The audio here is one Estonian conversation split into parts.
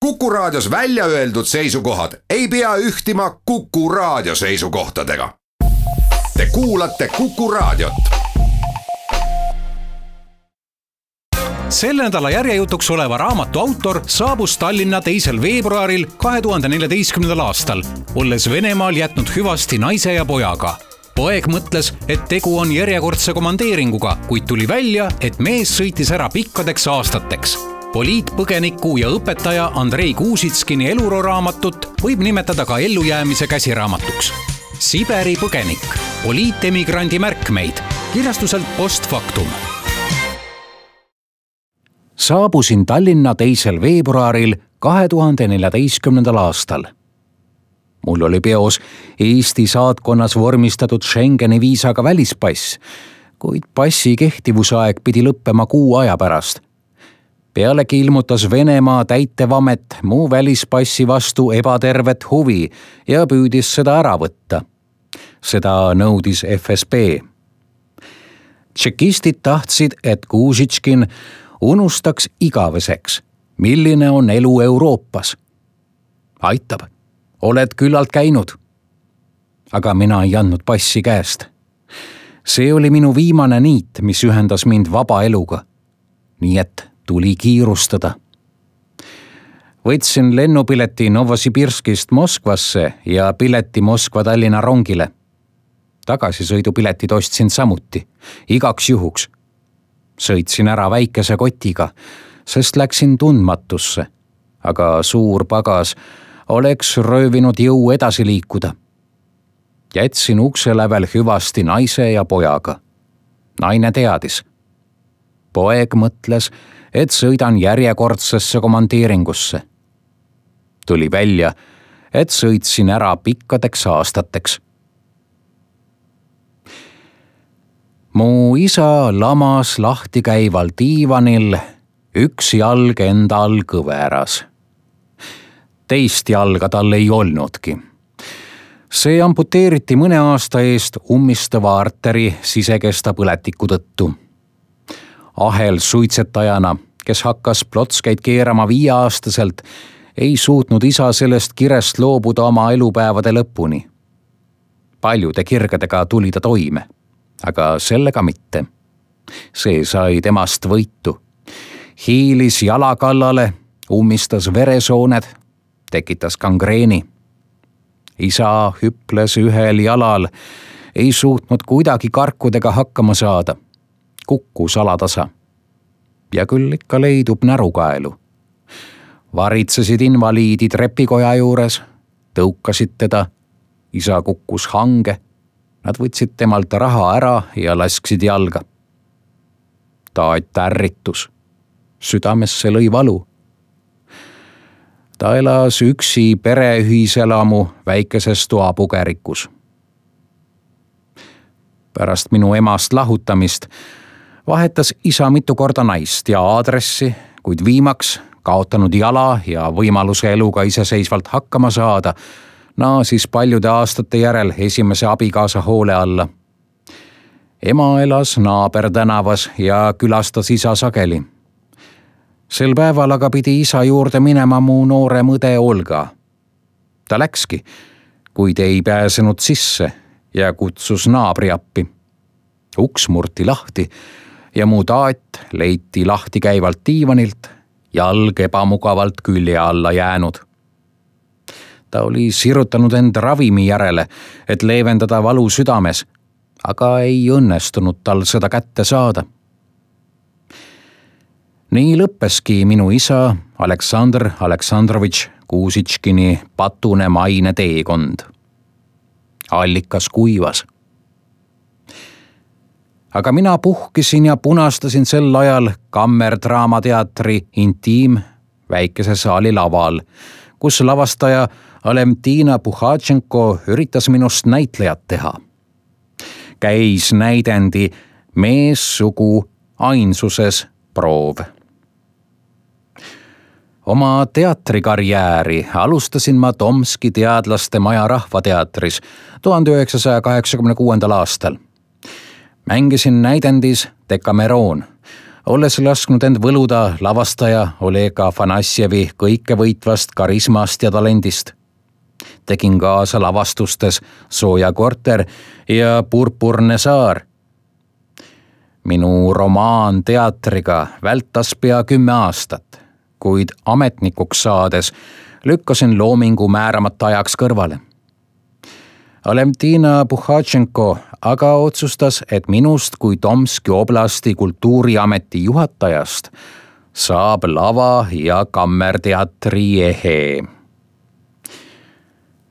Kuku Raadios välja öeldud seisukohad ei pea ühtima Kuku Raadio seisukohtadega. Te kuulate Kuku Raadiot. Selle nädala järjejutuks oleva raamatu autor saabus Tallinna 2. veebruaril 2014. aastal, olles Venemaal jätnud hüvasti naise ja pojaga. Poeg mõtles, et tegu on järjekordse komandeeringuga, kuid tuli välja, et mees sõitis ära pikkadeks aastateks. Poliitpõgeniku ja õpetaja Andrei Kuusitskini eluroo raamatut võib nimetada ka ellujäämise käsiraamatuks. Siberi põgenik, poliitemigrandi märkmeid, kirjastuselt Postfaktum. Saabusin Tallinna 2. veebruaril 2014. aastal. Mul oli peos Eesti saatkonnas vormistatud Schengeni viisaga välispass, kuid passi kehtivusaeg pidi lõppema 6 aja pärast. Pealegi ilmutas Venemaa täitevamet muu välispassi vastu ebatervet huvi ja püüdis seda ära võtta. Seda nõudis FSB. Tšekistid tahtsid, et Kuusitškin unustaks igaveseks, milline on elu Euroopas. Aitab, oled küllalt käinud. Aga mina ei andnud passi käest. See oli minu viimane niit, mis ühendas mind vaba eluga. Nii et tuli kiirustada. Võtsin lennupileti Novosibirskist Moskvasse ja pileti Moskva-Tallinna rongile. Tagasisõidupiletid ostsin samuti, igaks juhuks. Sõitsin ära väikese kotiga, sest läksin tundmatusse, aga suur pagas oleks röövinud jõu edasi liikuda. Jätsin ukse lävel hüvasti naise ja pojaga. Naine teadis. Poeg mõtles, et sõidan järjekordsesse komandeeringusse. Tuli välja, et sõitsin ära pikkadeks aastateks. Mu isa lamas lahti käival diivanil, üks jalg enda all kõveras. Teist jalga tal ei olnudki. See amputeeriti mõne aasta eest ummistava arteri sisekesta põletiku tõttu. Ahel suitsetajana, kes hakkas plotskeid keerama 5-aastaselt, ei suutnud isa sellest kirest loobuda oma elupäevade lõpuni. Paljude kirgedega tuli ta toime, aga sellega mitte. See sai temast võitu. Hiilis jala kallale, ummistas veresooned, tekitas gangreeni. Isa hüples ühel jalal, ei suutnud kuidagi karkudega hakkama saada. Kukkus alatasa. Ja küll ikka leidub närukaelu. Varitsesid invaliidid repikoja juures, tõukasid teda. Isa kukkus hange. Nad võtsid temalt raha ära ja lasksid jalga. Taat ärritus. Südamesse lõi valu. Ta elas üksi pereühiselamu väikeses toapugerikus. Pärast minu emast lahutamist vahetas isa mitu korda naist ja aadressi, kuid viimaks kaotanud jala ja võimaluse eluga iseseisvalt hakkama saada, naasis paljude aastate järel esimese abikaasa hoole alla. Ema elas naabertänavas ja külastas isa sageli. Sel päeval aga pidi isa juurde minema mu noore mõde Olga. Ta läkski, kuid ei pääsenud sisse ja kutsus naabri appi. Uks murti lahti ja mu taat leiti lahti käivalt diivanilt, jalg ebamugavalt külje alla jäänud. Ta oli sirutanud end ravimi järele, et leevendada valu südames, aga ei õnnestunud tal seda kätte saada. Nii lõppeski minu isa Aleksandr Aleksandrovitš Kuusitškini patune maine teekond. Allikas kuivas. Aga mina puhkisin ja punastasin sel ajal Kammerdraamateatri Intiim väikese saali laval, kus lavastaja Alemtina Puhatšenko üritas minust näitlejat teha. Käis näidendi meessugu ainsuses proov. Oma teatrikarjääri alustasin ma Tomski teadlaste maja rahvateatris 1986. aastal. Mängisin näidendis Decameron, olles lasknud end võluda lavastaja Oleg Afanasjevi kõikevõitvast karismast ja talendist. Tegin kaasa lavastustes Sooja korter ja Purpurne saar. Minu romaan teatriga vältas pea 10 aastat, kuid ametnikuks saades lükkasin loomingu määramata ajaks kõrvale. Valentina Puhatšenko aga otsustas, et minust kui Tomski oblasti kultuuriameti juhatajast saab lava- ja kammerteatri ehe.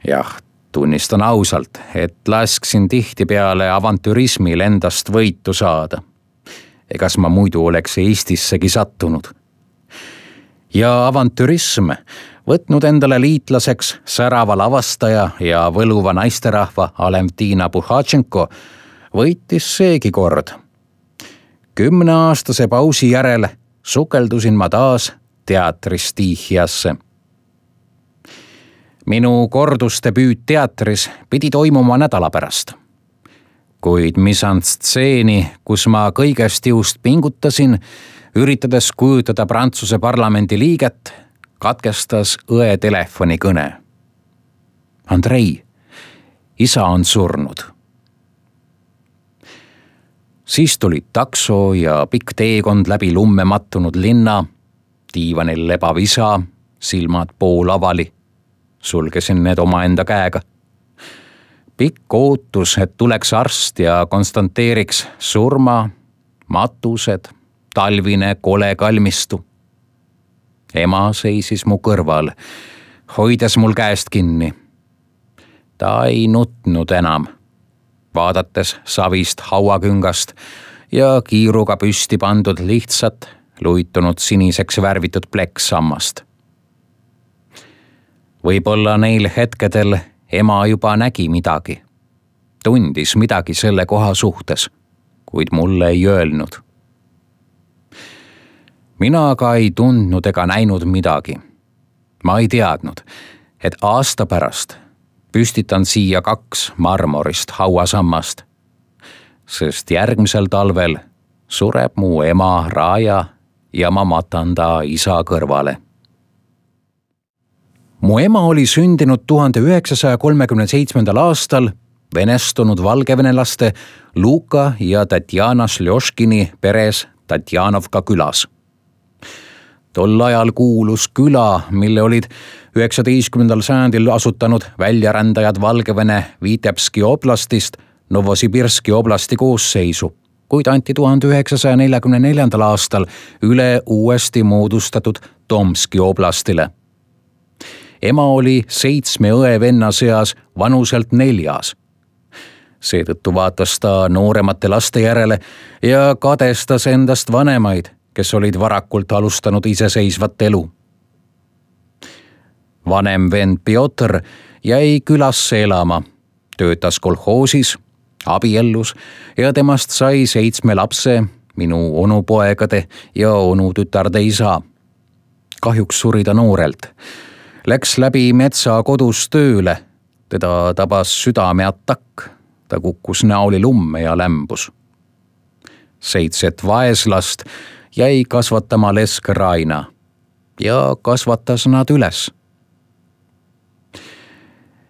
Jah, tunnistan ausalt, et lasksin tihtipeale avantürismil endast võitu saada. Egas ma muidu oleks Eestissegi sattunud. Ja avantürism, võtnud endale liitlaseks särava lavastaja ja võluva naisterahva Valentina Puhatšenko, võitis seegi kord. 10-aastase pausi järel sukeldusin ma taas teatristiihiasse. Minu kordusdebüüt teatris pidi toimuma nädala pärast. Kuid misanstseeni, kus ma kõigest jõust pingutasin, üritades kujutada Prantsuse parlamendi liiget, katkestas õe telefonikõne. Andrei, isa on surnud. Siis tuli takso ja pikk teekond läbi lumme mattunud linna, diivanil lebav isa, silmad pool avali. Sulgesin need omaenda käega. Pikk ootus, et tuleks arst ja konstanteeriks surma, matused, talvine kole kalmistu. Ema seisis mu kõrval, hoides mul käest kinni. Ta ei nutnud enam, vaadates savist hauaküngast ja kiiruga püsti pandud lihtsat, luitunud siniseks värvitud plekksammast. Võib-olla neil hetkedel ema juba nägi midagi, tundis midagi selle koha suhtes, kuid mulle ei öelnud. Mina aga ei tundnud ega näinud midagi. Ma ei teadnud, et aasta pärast püstitan siia 2 marmorist hauasammast, sest järgmisel talvel sureb mu ema Raja ja ma matan ta isa kõrvale. Mu ema oli sündinud 1937. aastal venestunud valgevenelaste Luka ja Tatjana Šljoškini peres Tatjanovka külas. Tol ajal kuulus küla, mille olid 19. sajandil asutanud väljarändajad Valgevene Vitebski oblastist Novosibirski oblasti koosseisu, kuid anti 1944. aastal üle uuesti moodustatud Tomski oblastile. Ema oli 7 õe-venna seas vanuselt 4. Seetõttu vaatas ta nooremate laste järele ja kadestas endast vanemaid, kes olid varakult alustanud iseseisvat elu. Vanem vend Piotr jäi külasse elama, töötas kolhoosis, abiellus ja temast sai 7 lapse, minu onupoegade ja onutütarde isa. Kahjuks suri ta noorelt. Läks läbi metsa kodus tööle, teda tabas südameatakk, ta kukkus näoli lumme ja lämbus. 7 vaeslast jäi kasvatama lesk Raina ja kasvatas nad üles.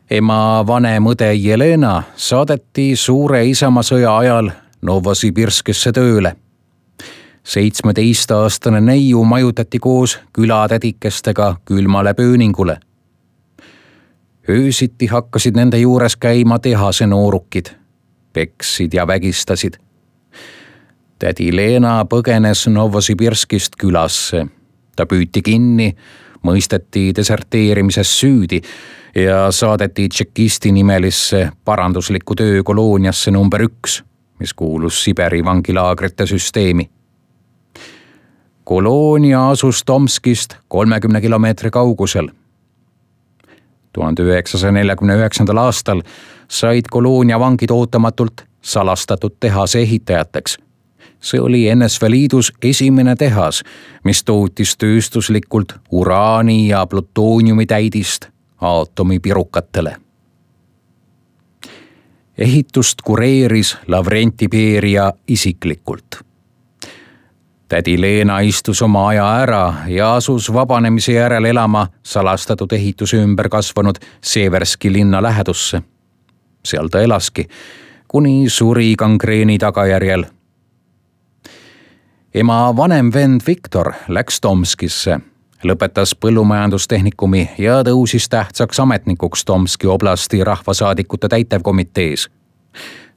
Ema vanem õde Jelena saadeti suure isamaasõja ajal Novosibirskisse tööle. 17-aastane neiu majutati koos külatädikestega külmale pööningule. Öösiti hakkasid nende juures käima tehase noorukid, peksid ja vägistasid. Tädi Leena põgenes Novosibirskist külasse. Ta püüti kinni, mõisteti deserteerimises süüdi ja saadeti tšekisti nimelisse paranduslikku töökolooniasse number 1, mis kuulus Siberi vangilaagrite süsteemi. Koloonia asus Tomskist 30 kilomeetri kaugusel. 1949. aastal said koloonia vangid ootamatult salastatud tehase ehitajateks. See oli NSV Liidus esimene tehas, mis tootis tööstuslikult uraani ja plutooniumi täidist aatomipirukatele. Ehitust kureeris Lavrenti Beria isiklikult. tädi Leena istus oma aja ära ja asus vabanemise järel elama salastatud ehituse ümber kasvanud Severski linna lähedusse. Seal ta elaski, kuni suri gangreeni tagajärjel. Ema vanem vend Viktor läks Tomskisse, lõpetas põllumajandustehnikumi ja tõusis tähtsaks ametnikuks Tomski oblasti rahvasaadikute täitevkomitees.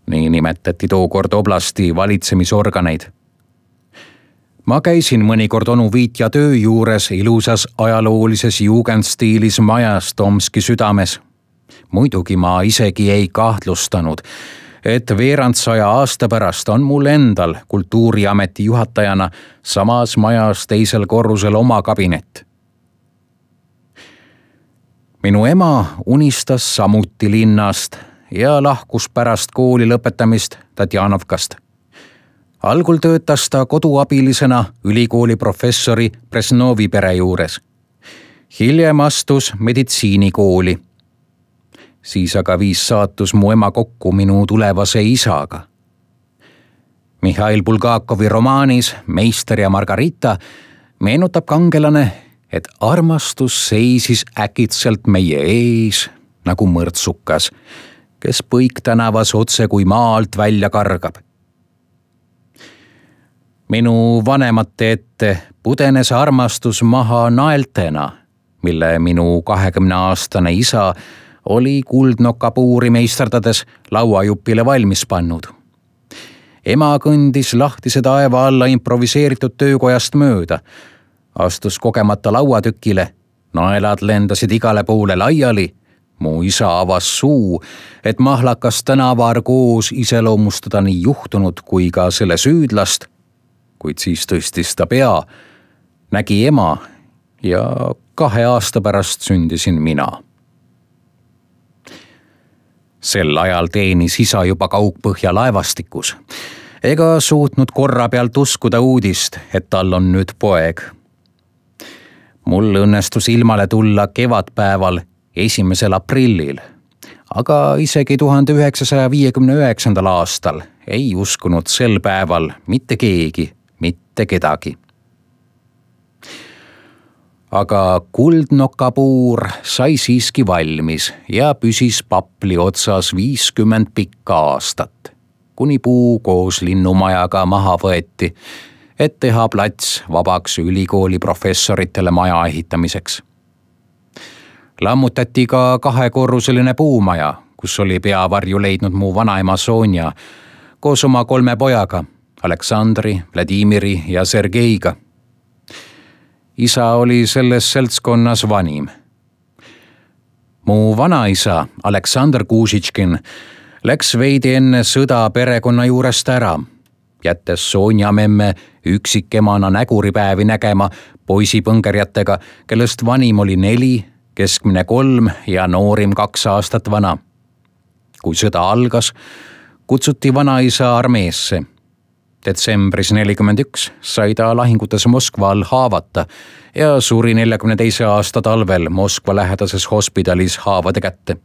Nii nimetati tookord oblasti valitsemisorganeid. Ma käisin mõnikord onu Viitja töö juures ilusas ajaloolises jugendstiilis majas Tomski südames. Muidugi ma isegi ei kahtlustanud, et veerand 100 aasta pärast on mul endal kultuuriameti juhatajana samas majas teisel korrusel oma kabinet. Minu ema unistas samuti linnast ja lahkus pärast kooli lõpetamist Tatjanovkast. Algul töötas ta koduabilisena ülikooli professori Presnovi pere juures. Hiljem astus meditsiinikooli. Siis aga viis saatus mu ema kokku minu tulevase isaga. Mihhail Bulgakovi romaanis Meister ja Margarita meenutab kangelane, et armastus seisis äkitselt meie ees nagu mõrtsukas, kes Põiktänavas otse kui maalt välja kargab. Minu vanemate ette pudenes armastus maha naeltena, mille minu 20-aastane isa oli kuldnokapuuri meisterdades lauajupile valmis pannud. Ema kõndis lahtise taeva alla improviseeritud töökojast mööda, astus kogemata lauatükile, naelad lendasid igale poole laiali. Mu isa avas suu, et mahlakas tänavar koos iseloomustada nii juhtunud kui ka selle süüdlast, kuid siis tõstis ta pea, nägi ema ja 2 aasta pärast sündisin mina. Sel ajal teenis isa juba Kaugpõhja laevastikus ega suutnud korra pealt uskuda uudist, et tal on nüüd poeg. Mul õnnestus ilmale tulla kevadpäeval 1. aprillil, aga isegi 1959. aastal ei uskunud sel päeval mitte keegi, mitte kedagi. Aga kuldnokapuur sai siiski valmis ja püsis papli otsas 50 pikka aastat, kuni puu koos linnumajaga maha võeti, et teha plats vabaks ülikooli professoritele maja ehitamiseks. Lammutati ka 2-korruseline puumaja, kus oli peavarju leidnud mu vanaema Sonja koos oma 3 pojaga, Aleksandri, Vladimiri ja Sergeiga. Isa oli selles seltskonnas vanim. Mu vanaisa Aleksandr Kuusitškin läks veidi enne sõda perekonna juurest ära, jättes Sonja memme üksikemana näguripäevi nägema poisipõngerjatega, kellest vanim oli 4, keskmine 3 ja noorim 2 aastat vana. Kui sõda algas, kutsuti vanaisa armeesse. Detsembris 1941 sai ta lahingutes Moskva all haavata ja suri 1942. aasta talvel Moskva lähedases hospitalis haavade kätte.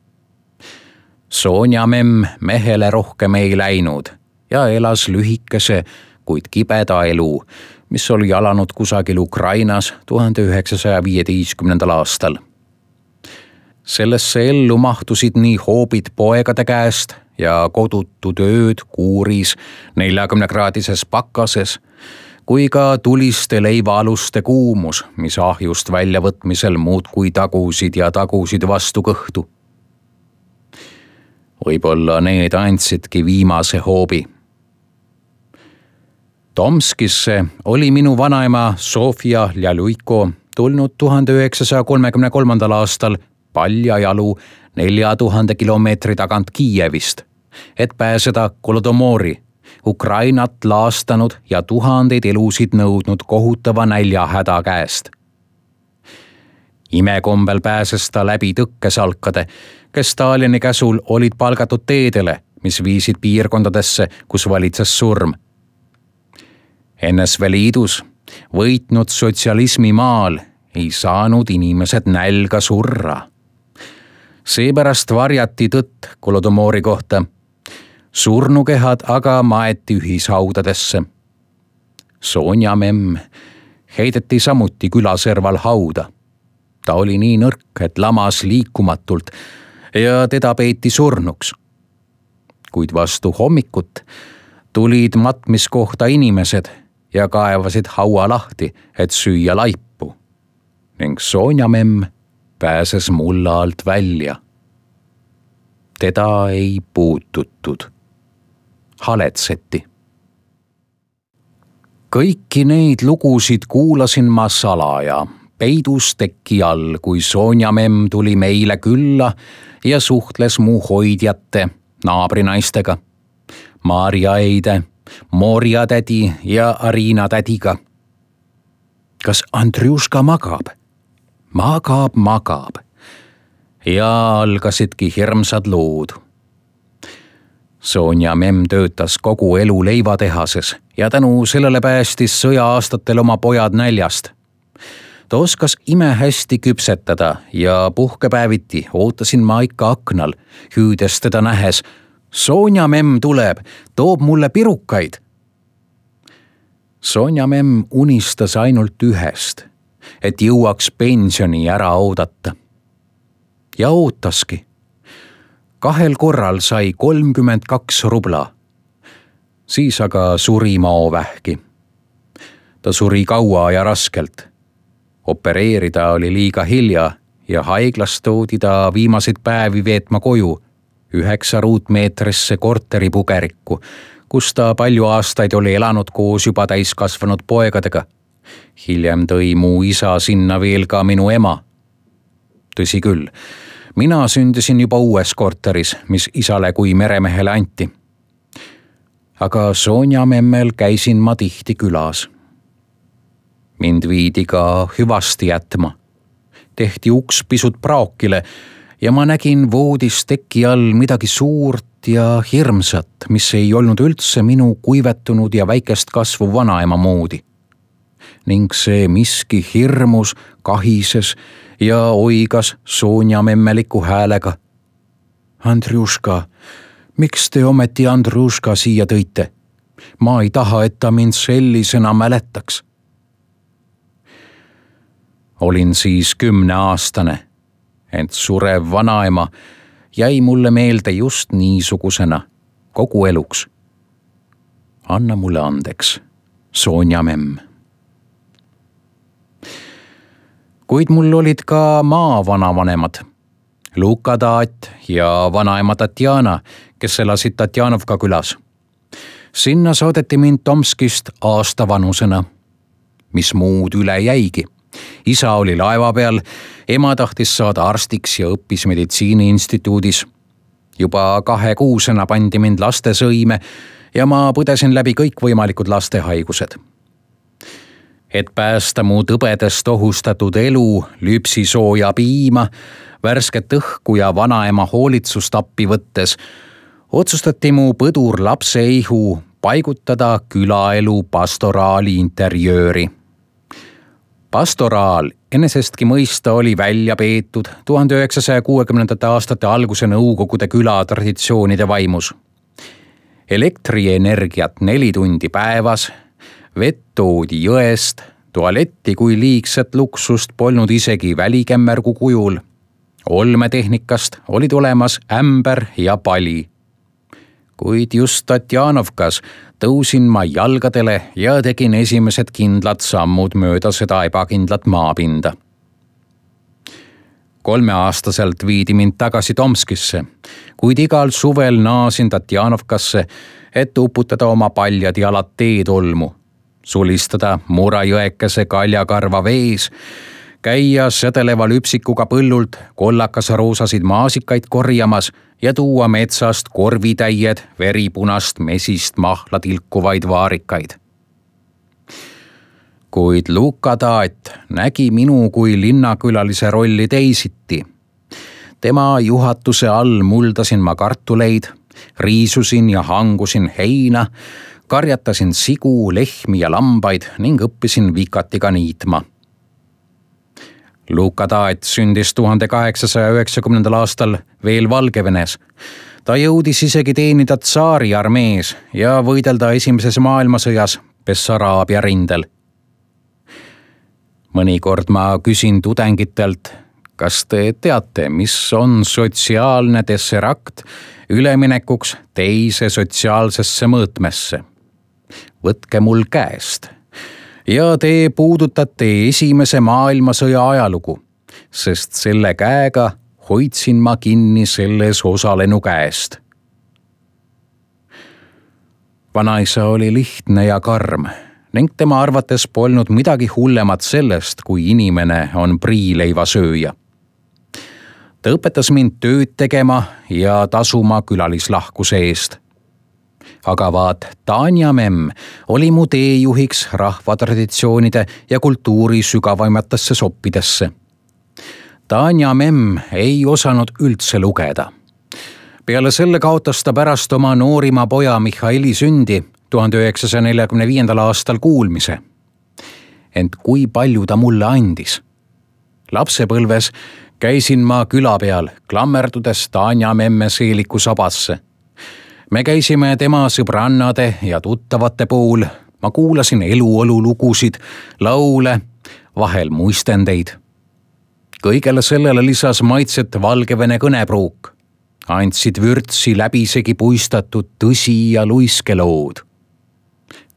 Sonja memm mehele rohkem ei läinud ja elas lühikese, kuid kibeda elu, mis oli alanud kusagil Ukrainas 1915. aastal. Sellesse ellu mahtusid nii hoobid poegade käest ja kodutu tööd kuuris 40-kraadises pakases, kui ka tuliste leivaaluste kuumus, mis ahjust väljavõtmisel muudkui tagusid ja tagusid vastu kõhtu. Võib-olla need andsidki viimase hoobi. Tomskisse oli minu vanaema Sofia Ljaluiko tulnud 1933. aastal paljajalu 4000 kilomeetri tagant Kiievist, et pääseda Kolodomori, Ukrainat laastanud ja tuhandeid elusid nõudnud kohutava näljahäda käest. Imekombel pääses ta läbi tõkkesalkade, kes Stalini käsul olid palgatud teedele, mis viisid piirkondadesse, kus valitses surm. NSV Liidus võitnud sotsialismi maal ei saanud inimesed nälga surra. Seepärast varjati tõtt Kolodomori kohta. Surnukehad aga maeti ühishaudadesse. Sonja memm heideti samuti külaserval hauda. Ta oli nii nõrk, et lamas liikumatult ja teda peeti surnuks. Kuid vastu hommikut tulid matmiskohta inimesed ja kaevasid haua lahti, et süüa laipu. Ning Sonja memm pääses mulla alt välja. Teda ei puututud. Haletseti. Kõiki neid lugusid kuulasin ma salaja, peidus teki all, kui Sonja memm tuli meile külla ja suhtles mu hoidjate, naabrinaistega, Maarja Eide, Morja tädi ja Arina tädiga. Kas Andrjuška magab? Magab. Ja algasidki hirmsad lood. Sonja memm töötas kogu elu leivatehases ja tänu sellele päästis sõja-aastatel oma pojad näljast. Ta oskas imehästi küpsetada ja puhkepäeviti ootasin ma ikka aknal, hüüdes teda nähes. Sonja memm tuleb, toob mulle pirukaid. Sonja memm unistas ainult ühest, et jõuaks pensioni ära oodata. Ja ootaski. 2 korral sai 32 rubla. Siis aga suri maovähki. Ta suri kaua ja raskelt. Opereerida oli liiga hilja ja haiglas toodi ta viimaseid päevi veetma koju 9 ruutmeetrisse korteripugerikku, kus ta palju aastaid oli elanud koos juba täiskasvanud poegadega. Hiljem tõi mu isa sinna veel ka minu ema. Tõsi küll, mina sündisin juba uues korteris, mis isale kui meremehele anti. Aga Sonja memmel käisin ma tihti külas. Mind viidi ka hüvasti jätma. Tehti uks pisut praokile ja ma nägin voodis teki all midagi suurt ja hirmsat, mis ei olnud üldse minu kuivetunud ja väikest kasvu vanaema moodi. Ning see miski hirmus, kahises ja oigas Sonja memmeliku häälega. Andrjuška, miks te ometi Andrjuška siia tõite? Ma ei taha, et ta mind sellisena mäletaks. Olin siis 10-aastane, ent surev vanaema jäi mulle meelde just niisugusena kogu eluks. Anna mulle andeks, Sonja memm. Kuid mul olid ka maavanavanemad, Luka taat ja vanaema Tatjana, kes elasid Tatjanovka külas. Sinna saadeti mind Tomskist aastavanusena, mis muud üle jäigi. Isa oli laeva peal, ema tahtis saada arstiks ja õppis meditsiiniinstituudis. Juba 2-kuusena pandi mind lastesõime ja ma põdesin läbi kõikvõimalikud lastehaigused. Et päästa mu tõbedest ohustatud elu, lüpsisooja piima, värsket õhku ja vanaema hoolitsust appi võttes, otsustati mu põdur lapseihu paigutada külaelu pastoraali interjööri. Pastoraal enesestki mõista oli välja peetud 1960. aastate alguse Nõukogude küla traditsioonide vaimus. Elektrienergiat 4 tundi päevas, vett toodi jõest, tualetti kui liigset luksust polnud isegi välikämmergu kujul. Olmetehnikast olid olemas ämber ja pali. Kuid just Tatjanovkas tõusin ma jalgadele ja tegin esimesed kindlad sammud mööda seda ebakindlat maapinda. 3-aastaselt viidi mind tagasi Tomskisse, kuid igal suvel naasin Tatjanovkasse, et uputada oma paljad jalad teetolmu, sulistada Murajõekese kaljakarva vees, käia sädeleva lüpsikuga põllult kollakas-roosasid maasikaid korjamas ja tuua metsast korvitäied veripunast mesist mahla tilkuvaid vaarikaid. Kuid Luka taat nägi minu kui linnakülalise rolli teisiti. Tema juhatuse all muldasin ma kartuleid, riisusin ja hangusin heina, karjatasin sigu, lehmi ja lambaid ning õppisin vikatiga niitma. Luka taat sündis 1890. aastal veel Valgevenes. Ta jõudis isegi teenida tsaari armees ja võidelda Esimeses maailmasõjas Bessaraabia rindel. Mõnikord ma küsin tudengitelt, kas te teate, mis on sotsiaalne tesserakt üleminekuks teise sotsiaalsesse mõõtmesse? Võtke mul käest ja te puudutate Esimese maailmasõja ajalugu, sest selle käega hoidsin ma kinni selles osalenu käest. Vanaisa oli lihtne ja karm ning tema arvates polnud midagi hullemat sellest, kui inimene on priileivasööja. Ta õpetas mind tööd tegema ja tasuma külalislahkuse eest. Aga vaat Tanja memm oli mu teejuhiks rahvatraditsioonide ja kultuuri sügavaimatesse soppidesse. Tanja memm ei osanud üldse lugeda. Peale selle kaotas ta pärast oma noorima poja Mihhaili sündi 1945. aastal kuulmise. Ent kui palju ta mulle andis? Lapsepõlves käisin ma küla peal, klammerdudes Tanja memme seeliku sabasse. Me käisime tema sõbrannade ja tuttavate pool, ma kuulasin eluolu lugusid, laule, vahel muistendeid. Kõigele sellele lisas maitset Valgevene kõnepruuk. Andsid vürtsi läbisegi puistatud tõsi- ja luiskelood.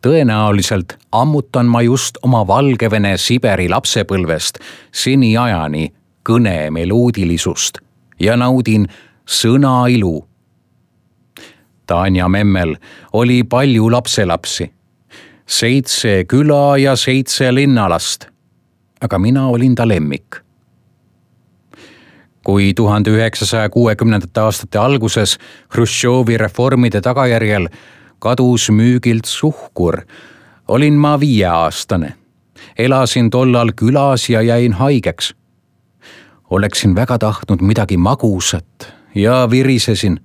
Tõenäoliselt ammutan ma just oma Valgevene Siberi lapsepõlvest seniajani kõne meloodilisust ja naudin sõna ilu. Tanja memmel oli palju lapselapsi, 7 küla ja 7 linnalast, aga mina olin ta lemmik. Kui 1960. aastate alguses Hruštšovi reformide tagajärjel kadus müügilt suhkur, olin ma 5-aastane. Elasin tollal külas ja jäin haigeks. Oleksin väga tahtnud midagi magusat ja virisesin.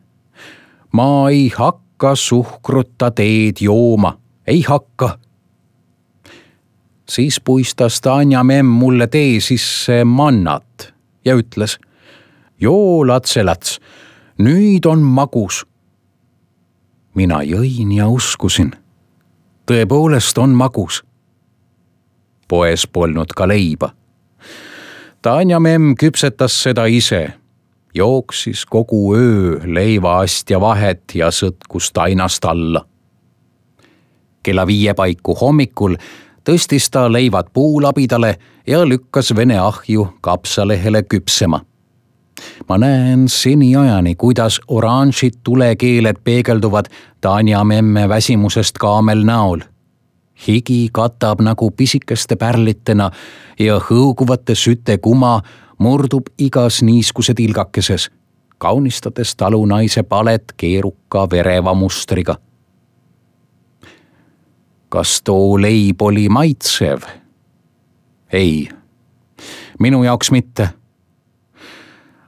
Ma ei hakka suhkruta teed jooma, ei hakka. Siis puistas Tanja memm mulle tee sisse mannat ja ütles: joo, latselats, nüüd on magus. Mina jõin ja uskusin. Tõepoolest on magus. Poes polnud ka leiba. Tanja memm küpsetas seda ise. Jooksis kogu öö leivaastja vahet ja sõtkus tainast alla. Kella 5 paiku hommikul tõstis ta leivad puulabidale ja lükkas vene ahju kapsalehele küpsema. Ma näen seniajani, kuidas oranžid tulekeeled peegelduvad Tanja memme väsimusest kaamel näol. Higi katab nagu pisikeste pärlitena ja hõuguvate süte kuma murdub igas niiskuse tilgakeses, kaunistades talunaise palet keeruka vereva mustriga. Kas too leib oli maitsev? Ei, minu jaoks mitte.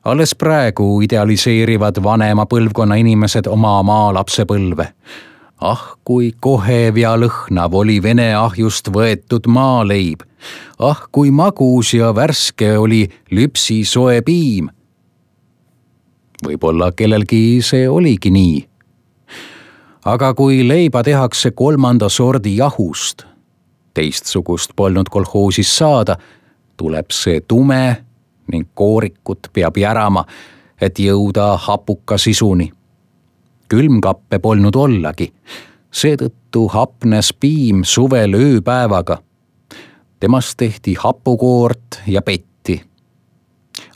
Alles praegu idealiseerivad vanema põlvkonna inimesed oma maalapsepõlve. Kui kohev ja lõhnav oli vene ahjust võetud maaleib. Kui magus ja värske oli lüpsi soe piim. Võib-olla kellelgi see oligi nii. Aga kui leiba tehakse 3. sordi jahust, teistsugust polnud kolhoosis saada, tuleb see tume ning koorikut peab järama, et jõuda hapuka sisuni. Külmkappe polnud ollagi, seetõttu hapnes piim suvel ööpäevaga. Temast tehti hapukoort ja petti.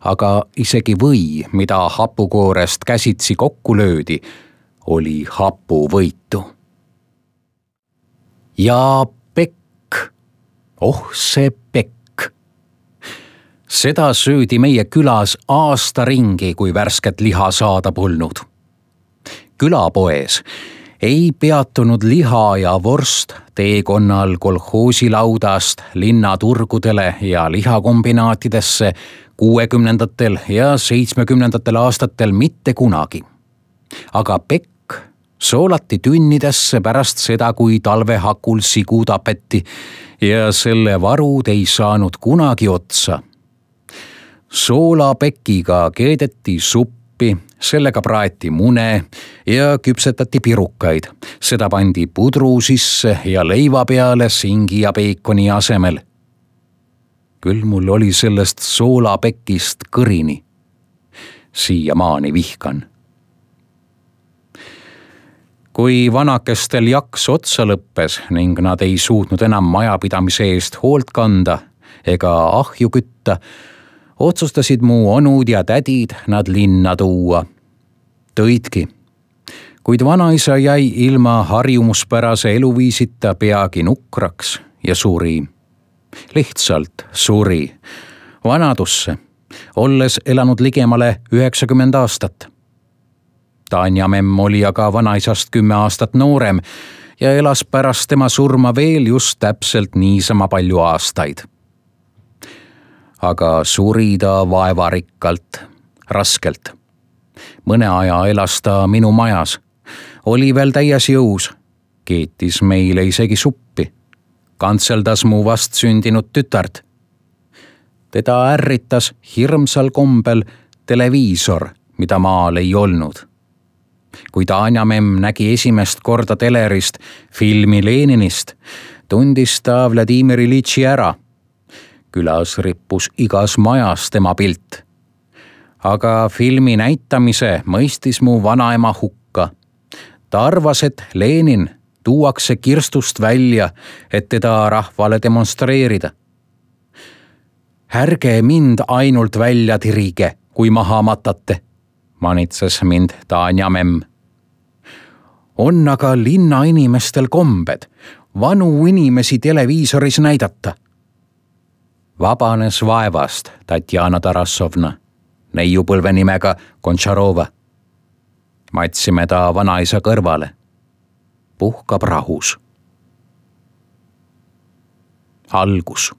Aga isegi või, mida hapukoorest käsitsi kokku löödi, oli hapuvõitu. Ja pekk, see pekk. Seda söödi meie külas aasta ringi, kui värsket liha saada polnud. Külapoes ei peatunud liha ja vorst teekonnal kolhoosilaudast linnaturgudele ja lihakombinaatidesse 60. ja 70. aastatel mitte kunagi. Aga pekk soolati tünnidesse pärast seda, kui talvehakul sigu tapeti ja selle varud ei saanud kunagi otsa. Soolapekiga keedeti suppi, sellega praeti mune ja küpsetati pirukaid. Seda pandi pudru sisse ja leiva peale singi ja peikoni asemel. Küll mul oli sellest soolapekist kõrini. Siiamaani vihkan. Kui vanakestel jaks otsa lõppes ning nad ei suutnud enam majapidamise eest hoolt kanda ega ahju kütta, otsustasid mu onud ja tädid nad linna tuua. Tõidki, kuid vanaisa jäi ilma harjumuspärase eluviisita peagi nukraks ja suri. Lihtsalt suri vanadusse, olles elanud ligemale 90 aastat. Tanja memm oli aga vanaisast 10 aastat noorem ja elas pärast tema surma veel just täpselt niisama palju aastaid. Aga suri ta vaevarikkalt, raskelt. Mõne aja elas ta minu majas, oli veel täies jõus, keetis meile isegi suppi, kantseldas mu vastsündinud tütart. Teda ärritas hirmsal kombel televiisor, mida maal ei olnud. Kui Tanja memm nägi esimest korda telerist filmi Leninist, tundis ta Vladimir Ilitši ära. Külas rippus igas majas tema pilt. Aga filmi näitamise mõistis mu vanaema hukka. Ta arvas, et Lenin tuuakse kirstust välja, et teda rahvale demonstreerida. Ärge mind ainult välja tirige, kui maha matate, manitses mind Tanja memm. On aga linna inimestel kombed vanu inimesi televiisoris näidata. Vabanes vaevast Tatjana Tarassovna, neiupõlve nimega Kontšarova. Matsime ta vanaisa kõrvale. Puhkab rahus. Algus.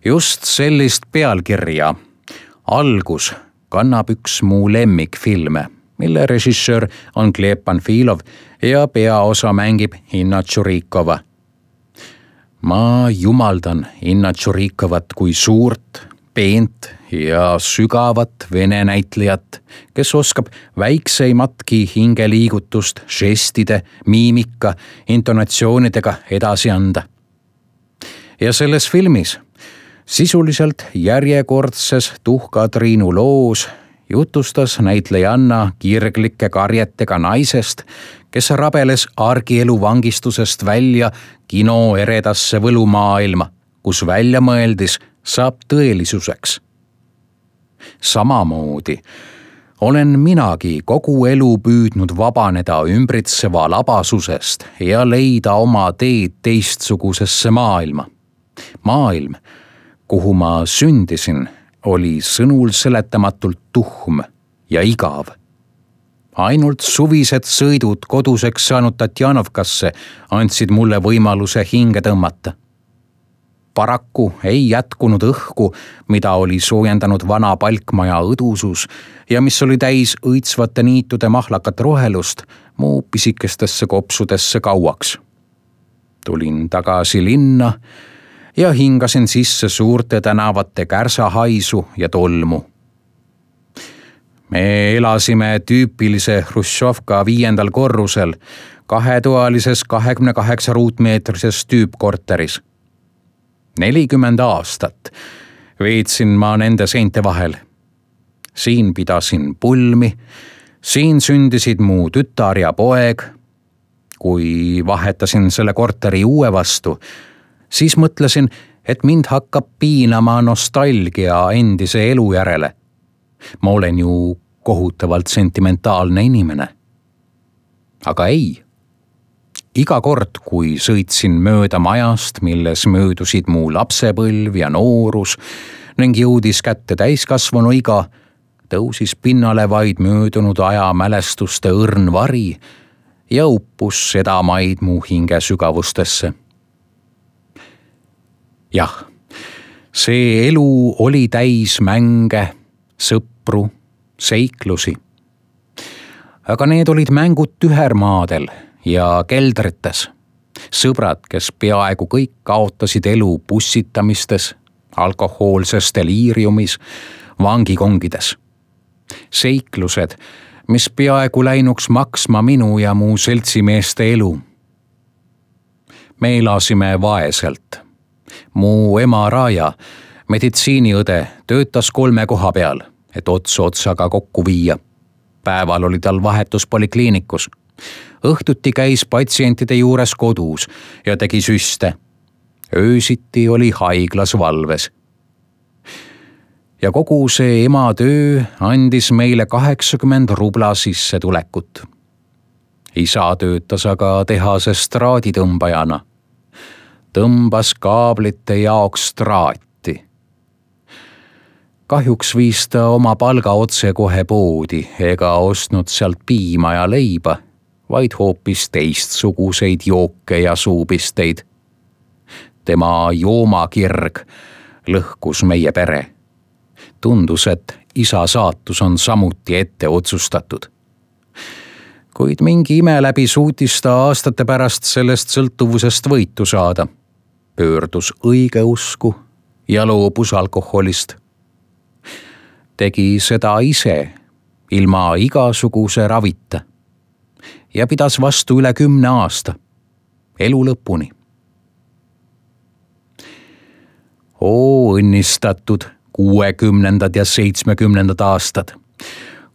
Just sellist pealkirja, Algus, kannab üks mu lemmikfilme, mille režissöör on Gleb Panfilov ja peaosa mängib Inna Tšurikova. Ma jumaldan Inna Tšurikovat kui suurt, peent ja sügavat vene näitlejat, kes oskab väikseimatki hingeliigutust žestide, miimika, intonatsioonidega edasi anda. Ja selles filmis, sisuliselt järjekordses Tuhka-Triinu loos, jutustas näitlejanna kirglike karjetega naisest, kes rabeles argielu vangistusest välja kino eredasse võlumaailma, kus väljamõeldis saab tõelisuseks. Samamoodi olen minagi kogu elu püüdnud vabaneda ümbritseva labasusest ja leida oma teed teistsugusesse maailma. Maailm, kuhu ma sündisin, oli sõnul seletamatult tuhm ja igav. Ainult suvised sõidud koduseks saanud Tatjanovkasse andsid mulle võimaluse hinge tõmmata. Paraku ei jätkunud õhku, mida oli soojendanud vana palkmaja õdusus ja mis oli täis õitsvate niitude mahlakat rohelust mu pisikestesse kopsudesse kauaks. Tulin tagasi linna ja hingasin sisse suurte tänavate kärsahaisu ja tolmu. Me elasime tüüpilise Hruštšovka 5. korrusel, 2-toalises 28 ruutmeetrises tüüpkorteris. 40 aastat veetsin ma nende seinte vahel. Siin pidasin pulmi, siin sündisid mu tütar ja poeg. Kui vahetasin selle korteri uue vastu, siis mõtlesin, et mind hakkab piinama nostalgia endise elu järele. Ma olen ju kohutavalt sentimentaalne inimene. Aga ei. Iga kord, kui sõitsin mööda majast, milles möödusid mu lapsepõlv ja noorus ning jõudis kätte täiskasvanu iga, tõusis pinnale vaid möödunud aja mälestuste õrn vari ja uppus sedamaid mu hinge sügavustesse. Jah, see elu oli täis mänge, sõpru, seiklusi. Aga need olid mängud tühermaadel ja keldrites. Sõbrad, kes peaaegu kõik kaotasid elu bussitamistes, alkohoolses deliiriumis, vangikongides. seiklused, mis peaaegu läinuks maksma minu ja mu seltsimeeste elu. Me elasime vaeselt. Mu ema Raja, meditsiiniõde, töötas 3 koha peal, et ots otsaga kokku viia. Päeval oli tal vahetus polikliinikus. Õhtuti käis patsientide juures kodus ja tegi süste. Öösiti oli haiglas valves. Ja kogu see ema töö andis meile 80 rubla sissetulekut. Isa töötas aga tehases traaditõmbajana. Tõmbas kaablite jaoks traati. Kahjuks viis ta oma palga otse kohe poodi ega ostnud sealt piima ja leiba, vaid hoopis teistsuguseid jooke ja suupisteid. Tema joomakirg lõhkus meie pere. Tundus, et isa saatus on samuti ette otsustatud. Kuid mingi ime läbi suutis ta aastate pärast sellest sõltuvusest võitu saada. Pöördus õigeusku ja loobus alkoholist. Tegi seda ise, ilma igasuguse ravita. Ja pidas vastu üle 10 aasta, elu lõpuni. Oo õnnistatud 60. ja 70. aastad.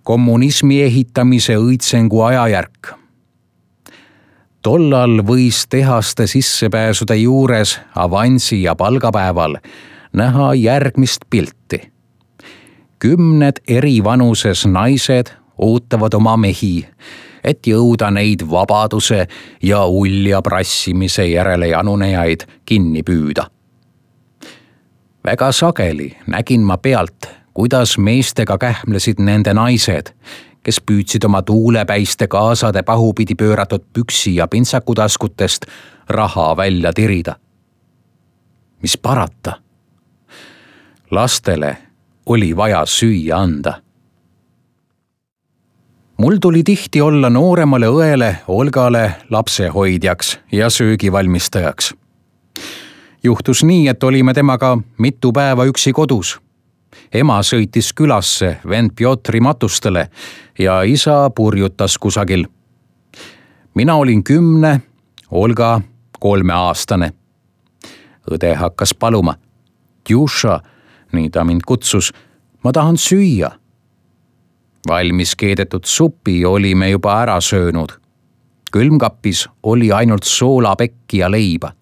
Kommunismi ehitamise õitsengu ajajärk. Tollal võis tehaste sissepääsude juures avansi ja palgapäeval näha järgmist pilti. 10 eri vanuses naised ootavad oma mehi, et jõuda neid vabaduse ja ulja prassimise järele janunejaid kinni püüda. Väga sageli nägin ma pealt, kuidas meestega kähmlesid nende naised, kes püüdsid oma tuulepäiste kaasade pahupidi pööratud püksi ja pintsakutaskutest raha välja tirida. Mis parata? Lastele oli vaja süüa anda. Mul tuli tihti olla nooremale õele Olgale lapsehoidjaks ja söögivalmistajaks. Juhtus nii, et olime temaga mitu päeva üksi kodus. Ema sõitis külasse vend Piotri matustele ja isa purjutas kusagil. Mina olin 10, Olga 3-aastane. Õde hakkas paluma. Tjuša, nii ta mind kutsus, ma tahan süüa. Valmis keedetud supi olime juba ära söönud. Külmkapis oli ainult soolapekki ja leiba.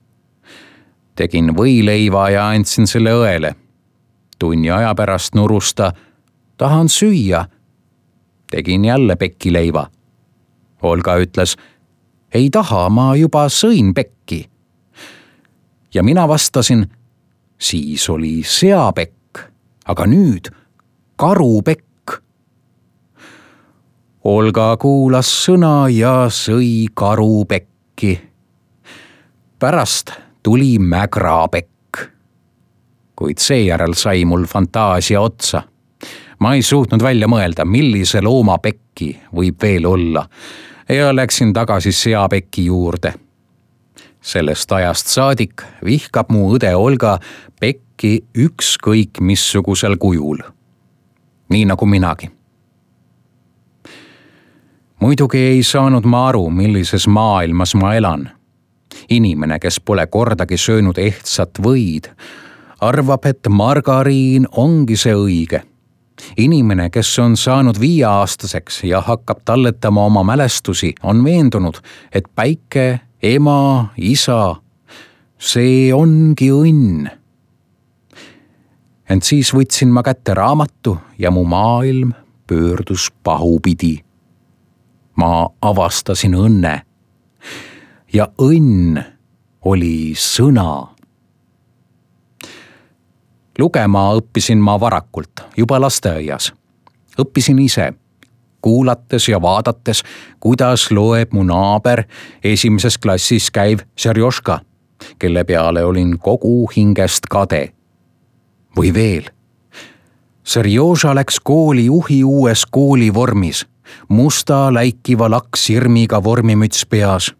Tegin võileiva ja andsin selle õele. Tunni aja pärast nurusta, tahan süüa. Tegin jälle pekkileiva. Olga ütles, ei taha, ma juba sõin pekki. Ja mina vastasin, siis oli seapekk, aga nüüd karupekk. Olga kuulas sõna ja sõi karupekki. Pärast tuli mägrapekk. Kuid seejärel sai mul fantaasia otsa. Ma ei suutnud välja mõelda, millise looma pekki võib veel olla ja läksin tagasi seapekki juurde. Sellest ajast saadik vihkab mu õde Olga pekki ükskõik missugusel kujul. Nii nagu minagi. Muidugi ei saanud ma aru, millises maailmas ma elan. Inimene, kes pole kordagi söönud ehtsat võid, arvab, et margariin ongi see õige. Inimene, kes on saanud 5-aastaseks ja hakkab talletama oma mälestusi, on veendunud, et päike, ema, isa, see ongi õnn. Ent siis võtsin ma kätte raamatu ja mu maailm pöördus pahupidi. Ma avastasin õnne. Ja õnn oli sõna. Lugema õppisin ma varakult, juba lasteaias. Õppisin ise, kuulates ja vaadates, kuidas loeb mu naaber 1. klassis käiv Serjoška, kelle peale olin kogu hingest kade. Või veel. Serjoža läks kooli juhi uues koolivormis, musta läikiva lakksirmiga vormimüts peas.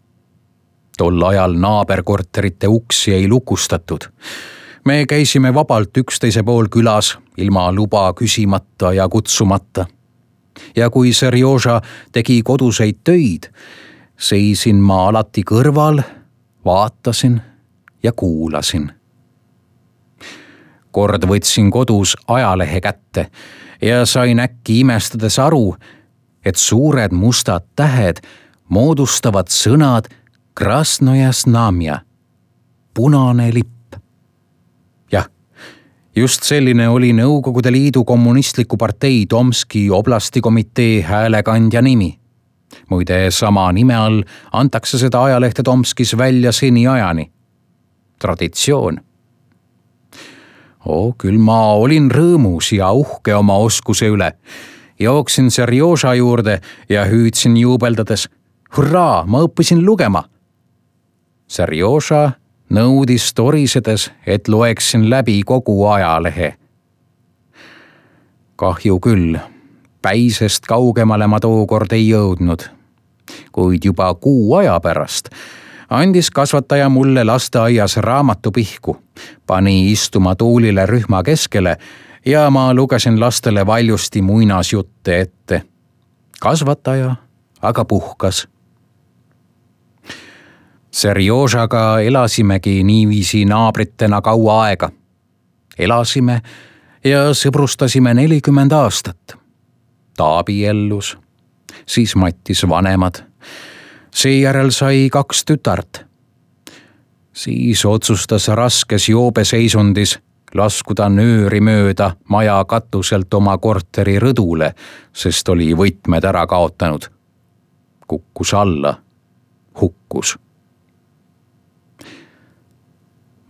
Tol ajal naaberkorterite uksi ei lukustatud. Me käisime vabalt üksteise pool külas, ilma luba küsimata ja kutsumata. ja kui Serjoža tegi koduseid töid, seisin ma alati kõrval, vaatasin ja kuulasin. Kord võtsin kodus ajalehe kätte ja sain äkki imestades aru, et suured mustad tähed moodustavad sõnad Krasnoja Znamja, punane lipp. Jah, just selline oli Nõukogude Liidu kommunistliku partei Tomski oblasti komitee häälekandja nimi. Muide, sama nime all antakse seda ajalehte Tomskis välja seniajani. Traditsioon. Küll ma olin rõõmus ja uhke oma oskuse üle. Jooksin Serjoža juurde ja hüüdsin juubeldades: hurraa, ma õppisin lugema! Serjoža nõudis torisedes, et loeksin läbi kogu ajalehe. Kahju küll, päisest kaugemale ma tookord ei jõudnud, kuid juba kuu aja pärast andis kasvataja mulle lasteaias raamatupihku, pani istuma tuulile rühma keskele ja ma lugesin lastele valjusti muinasjutte ette. Kasvataja aga puhkas. Serjožaga elasimegi niiviisi naabritena kaua aega. Elasime ja sõbrustasime 40 aastat. Ta abiellus, siis Mattis vanemad. Seejärel sai 2 tütart. Siis otsustas raskes joobeseisundis laskuda nööri mööda maja katuselt oma korteri rõdule, sest oli võtmed ära kaotanud. Kukkus alla, hukkus.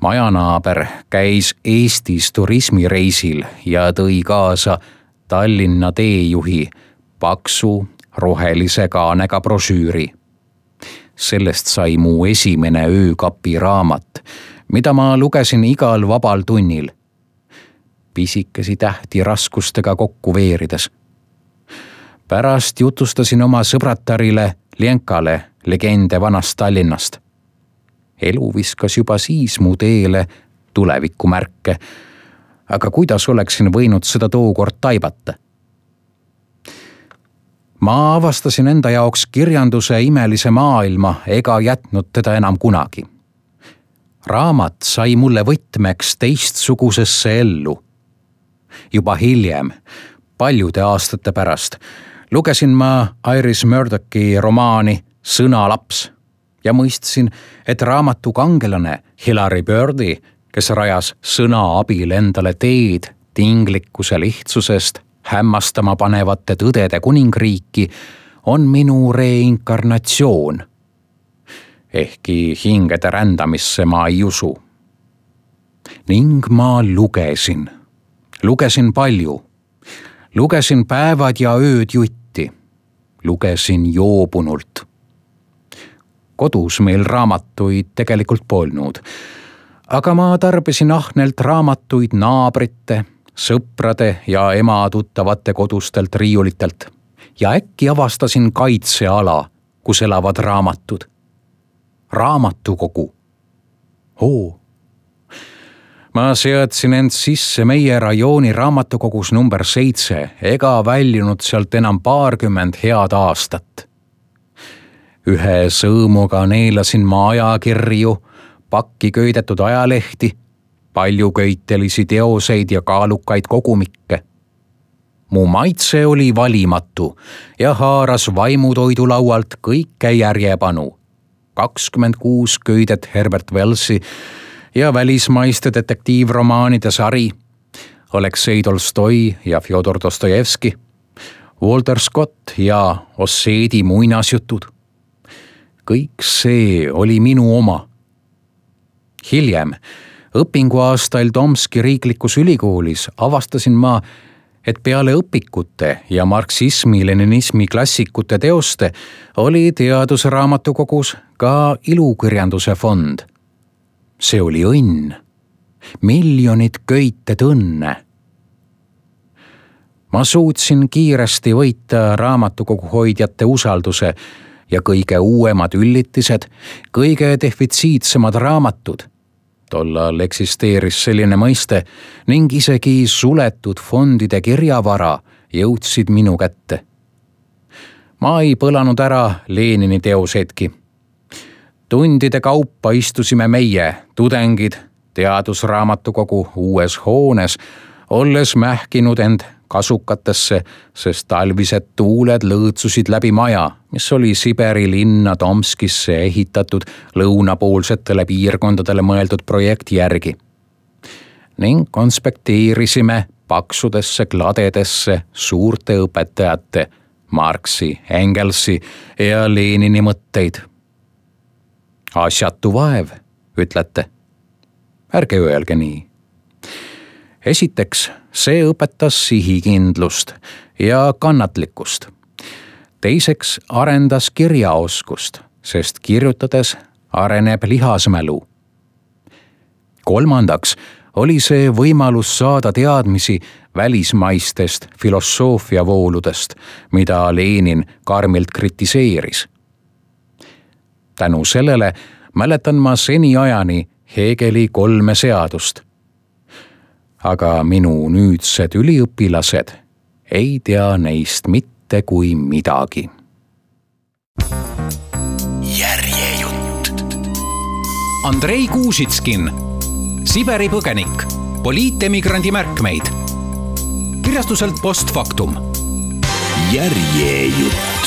Majanaaber käis Eestis turismireisil ja tõi kaasa Tallinna teejuhi paksu rohelise kaanega brošüüri. Sellest sai mu esimene öökapi raamat, mida ma lugesin igal vabal tunnil. Pisikesi tähti raskustega kokku veerides. Pärast jutustasin oma sõbratarile Lenkale legende vanast Tallinnast. Elu viskas juba siis mu teele tulevikumärke, aga kuidas oleksin võinud seda tookord taibata? Ma avastasin enda jaoks kirjanduse imelise maailma ega jätnud teda enam kunagi. Raamat sai mulle võtmeks teistsugusesse ellu. Juba hiljem, paljude aastate pärast, lugesin ma Iris Murdochi romaani Sõnalaps ja mõistsin, et raamatu kangelane Hilary Birdi, kes rajas sõna abil endale teed tinglikkuse lihtsusest hämmastama panevate tõdede kuningriiki, on minu reinkarnatsioon. Ehkki hingede rändamisse ma ei usu. Ning ma lugesin. Lugesin palju. Lugesin päevad ja ööd jutti. Lugesin joobunult. Kodus meil raamatuid tegelikult polnud, aga ma tarbisin ahnelt raamatuid naabrite, sõprade ja ema tuttavate kodustelt riiulitelt ja äkki avastasin kaitseala, kus elavad raamatud. Raamatukogu. Ma seadsin end sisse meie rajooni raamatukogus number 7 ega väljunud sealt enam 20 head aastat. Ühe sõõmuga neelasin ma ajakirju, pakki köidetud ajalehti, palju köitelisi teoseid ja kaalukaid kogumikke. Mu maitse oli valimatu ja haaras vaimutoidu laualt kõike järjepanu. 26 köidet Herbert Wellsi ja välismaiste detektiivromaanide sari, Aleksei Tolstoi ja Fjodor Dostojevski, Walter Scott ja Osseedi muinasjutud. Kõik see oli minu oma. Hiljem, õpinguaastail Tomski riiklikus ülikoolis avastasin ma, et peale õpikute ja marksismi-leninismi klassikute teoste oli teadusraamatukogus ka ilukirjanduse fond. See oli õnn. Miljonid köited õnne. Ma suutsin kiiresti võita raamatukogu hoidjate usalduse ja kõige uuemad üllitised, kõige defitsiitsemad raamatud. Tollal eksisteeris selline mõiste ning isegi suletud fondide kirjavara jõudsid minu kätte Ma ei põlanud ära Lenini teosetki. Tundide kaupa istusime meie, tudengid, teadusraamatukogu uues hoones, olles mähkinud end kasukatesse, sest talvised tuuled lõõtsusid läbi maja, mis oli Siberi linna Tomskisse ehitatud lõunapoolsetele piirkondadele mõeldud projekti järgi. Ning konspekteerisime paksudesse kladedesse suurte õpetajate Marxi, Engelsi ja Lenini mõtteid. Asjatu vaev, ütlete. Ärge öelge nii. Esiteks, see õpetas sihikindlust ja kannatlikkust. Teiseks arendas kirjaoskust, sest kirjutades areneb lihasmälu. Kolmandaks oli see võimalus saada teadmisi välismaistest filosoofiavooludest, mida Lenin karmilt kritiseeris. Tänu sellele mäletan ma seniajani Hegeli 3 seadust. Aga minu nüüdsed üliõpilased ei tea neist mitte kui midagi. Järjejutt. Andrei Kuusitskin, Siberi põgenik, poliitemigrandi märkmeid. Kirjastuselt Postfaktum. Järjejutt.